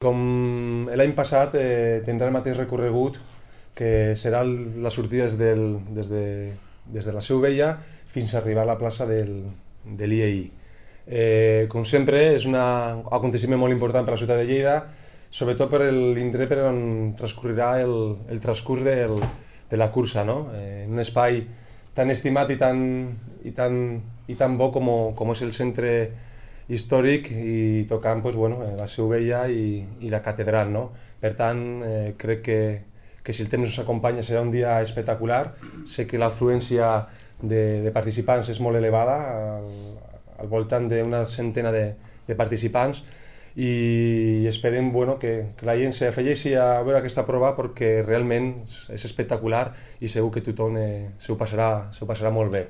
Com l'any passat tindrà el mateix recorregut que serà la sortida des de la Seu Vella fins a arribar a la plaça de l'IEI. Com sempre, és un aconteciment molt important per a la ciutat de Lleida, sobretot per l'indret per on transcorrirà el transcurs de la cursa, no? En un espai tan estimat i tan bo com és el centre històric i tocant pues, bueno, la Seu Vella i la catedral. No? Per tant, crec que si el temps ens acompanya serà un dia espectacular. Sé que l'afluència de participants és molt elevada, al voltant d'una centena de participants, i esperem bueno, que la gent s'afegeixi a veure aquesta prova perquè realment és espectacular i segur que tothom s'ho passarà molt bé.